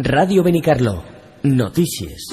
Ràdio Benicarló. Notícies.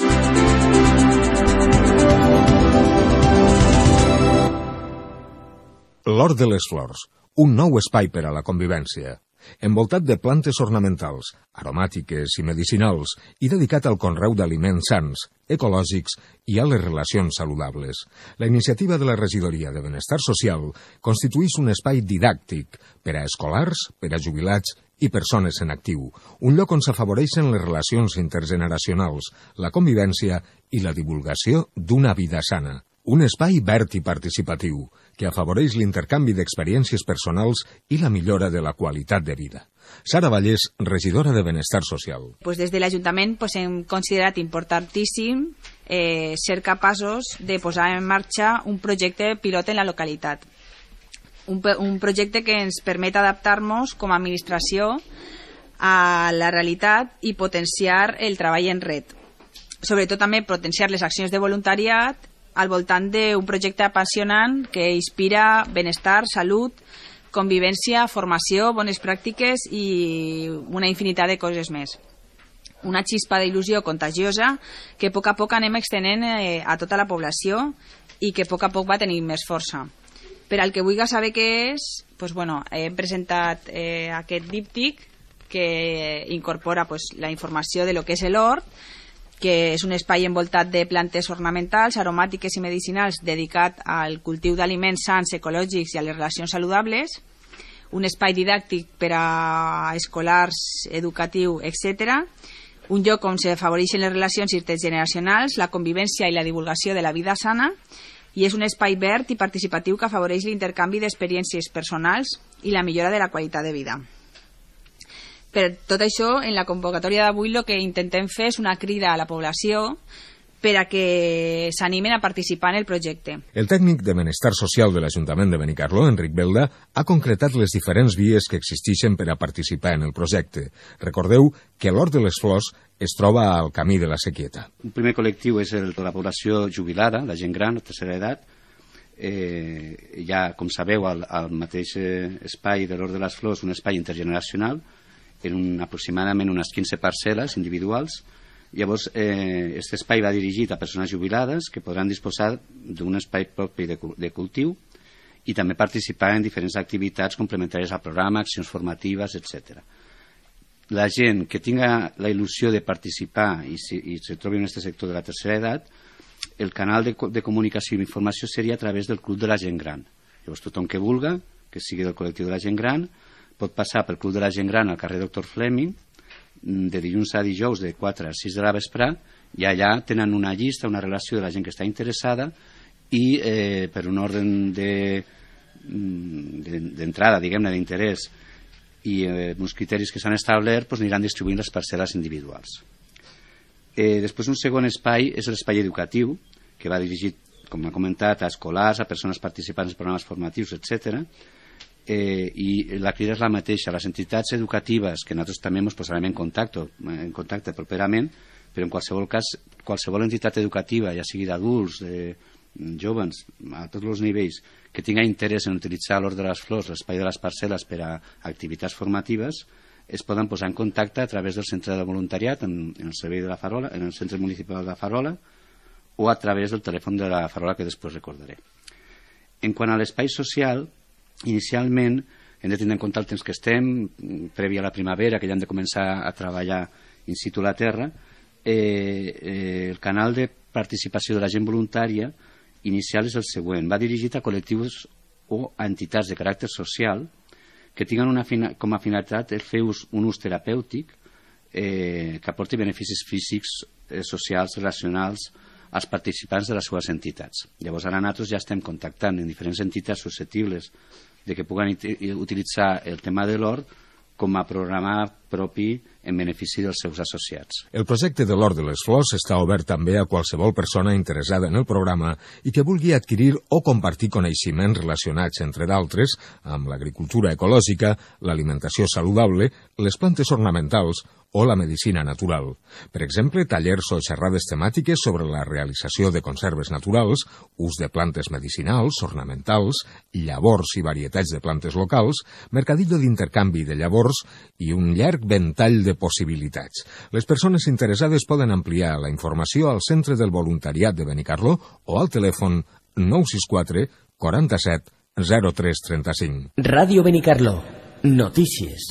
L'Hort de les Flors, un nou espai per a la convivència. Envoltat de plantes ornamentals, aromàtiques i medicinals i dedicat al conreu d'aliments sans, ecològics i a les relacions saludables. La iniciativa de la Regidoria de Benestar Social constitueix un espai didàctic per a escolars, per a jubilats i persones en actiu, un lloc on s'afavoreixen les relacions intergeneracionals, la convivència i la divulgació d'una vida sana. Un espai verd i participatiu, que afavoreix l'intercanvi d'experiències personals i la millora de la qualitat de vida. Sara Vallès, regidora de Benestar Social. Des de l'Ajuntament hem considerat importantíssim ser capaços de posar en marxa un projecte pilot en la localitat. Un projecte que ens permet adaptar-nos com a administració a la realitat i potenciar el treball en red. Sobretot també potenciar les accions de voluntariat al voltant d'un projecte apassionant que inspira benestar, salut, convivència, formació, bones pràctiques i una infinitat de coses més. Una xispa d'il·lusió contagiosa que a poc anem extenent a tota la població i que a poc va tenir més força. Per al que vulgui saber què és, hem presentat aquest díptic que incorpora la informació de lo que és l'hort, que és un espai envoltat de plantes ornamentals, aromàtiques i medicinals dedicat al cultiu d'aliments sans, ecològics i a les relacions saludables, un espai didàctic per a escolars, educatiu, etc., un lloc on s'afavoreixen les relacions intergeneracionals, la convivència i la divulgació de la vida sana, i és un espai verd i participatiu que afavoreix l'intercanvi d'experiències personals i la millora de la qualitat de vida. Per tot això, en la convocatòria d'avui el que intentem fer és una crida a la població per a que s'animen a participar en el projecte. El tècnic de Benestar Social de l'Ajuntament de Benicarló, Enric Belda, ha concretat les diferents vies que existeixen per a participar en el projecte. Recordeu que l'Hort de les Flors es troba al camí de la Sequieta. Un primer col·lectiu és la població jubilada, la gent gran, de tercera edat. Hi ha, com sabeu, al mateix espai de l'Hort de les Flors, un espai intergeneracional, en aproximadament unes 15 parcel·les individuals. Llavors, aquest espai va dirigit a persones jubilades que podran disposar d'un espai propi de cultiu i també participar en diferents activitats complementàries al programa, accions formatives, etc. La gent que tinga la il·lusió de participar i se trobi en aquest sector de la tercera edat, el canal de comunicació i informació seria a través del Club de la Gent Gran. Llavors, tothom que vulga, que sigui del col·lectiu de la gent gran, pot passar pel Club de la Gent Gran al carrer Dr. Fleming de dilluns a dijous de 4 a 6 de la vesprà, i allà tenen una llista, una relació de la gent que està interessada i per un ordre d'entrada, diguem-ne, d'interès i uns criteris que s'han establert, aniran distribuint les parcel·les individuals. Després, un segon espai és l'espai educatiu, que va dirigit, com ha comentat, a escolars, a persones participants en programes formatius, etc. I la crida és la mateixa. Les entitats educatives, que nosaltres també ens posarem en contacte properament, però en qualsevol cas, qualsevol entitat educativa, ja sigui d'adults, de joves, a tots els nivells, que tinga interès en utilitzar l'Hort de les Flors, l'espai de les parcel·les per a activitats formatives, es poden posar en contacte a través del centre de voluntariat en el servei de la Farola, en el centre municipal de la Farola, o a través del telèfon de la Farola, que després recordaré. En quant a l'espai social, inicialment hem de tenir en compte el temps que estem, previ a la primavera, que ja hem de començar a treballar in situ a la terra. El canal de participació de la gent voluntària inicial és el següent. Va dirigit a col·lectius o a entitats de caràcter social que tinguen com a finalitat fer un ús terapèutic que aporti beneficis físics, socials, relacionals als participants de les seves entitats. Llavors, ara nosaltres ja estem contactant en diferents entitats susceptibles de que puguen utilitzar el tema de l'hort com a programa propi en benefici dels seus associats. El projecte de l'Hort de les Flors està obert també a qualsevol persona interessada en el programa i que vulgui adquirir o compartir coneixements relacionats, entre d'altres, amb l'agricultura ecològica, l'alimentació saludable, les plantes ornamentals o la medicina natural. Per exemple, tallers o xerrades temàtiques sobre la realització de conserves naturals, ús de plantes medicinals, ornamentals, llavors i varietats de plantes locals, mercadillo d'intercanvi de llavors i un llarg ventall de possibilitats. Les persones interessades poden ampliar la informació al Centre del Voluntariat de Benicarló o al telèfon 964 47 0335. Radio Benicarló. Notícies.